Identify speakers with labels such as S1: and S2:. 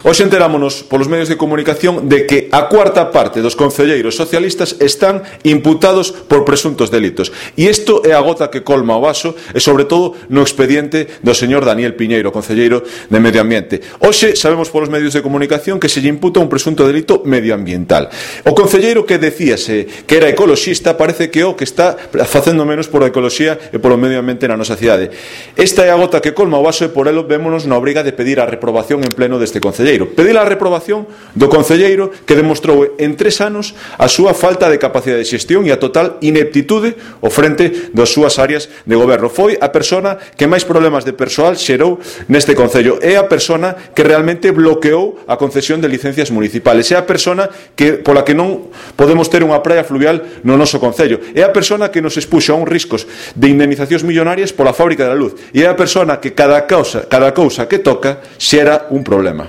S1: Hoxe enterámonos polos medios de comunicación de que a cuarta parte dos concelleiros socialistas están imputados por presuntos delitos. E isto é a gota que colma o vaso e, sobre todo, no expediente do señor Daniel Piñeiro, concelleiro de Medio Ambiente. Hoxe sabemos polos medios de comunicación que se lle imputa un presunto delito medioambiental. O concelleiro que decíase que era ecoloxista parece que o que está facendo menos por a ecoloxía e polo medio ambiente na nosa cidade. Esta é a gota que colma o vaso e por elo vémonos na obriga de pedir a reprobación en pleno deste concelleiro. Pedir a reprobación do concelleiro que demostrou en 3 anos a súa falta de capacidade de xestión e a total ineptitude ao frente das súas áreas de goberno. Foi a persona que máis problemas de persoal xerou neste concello. É a persona que realmente bloqueou a concesión de licencias municipales. É a persona pola que non podemos ter unha praia fluvial no noso concello. É a persona que nos expuxo a uns riscos de indemnizacións millonarias pola fábrica da luz. E é a persona que cada cousa que toca xera un problema.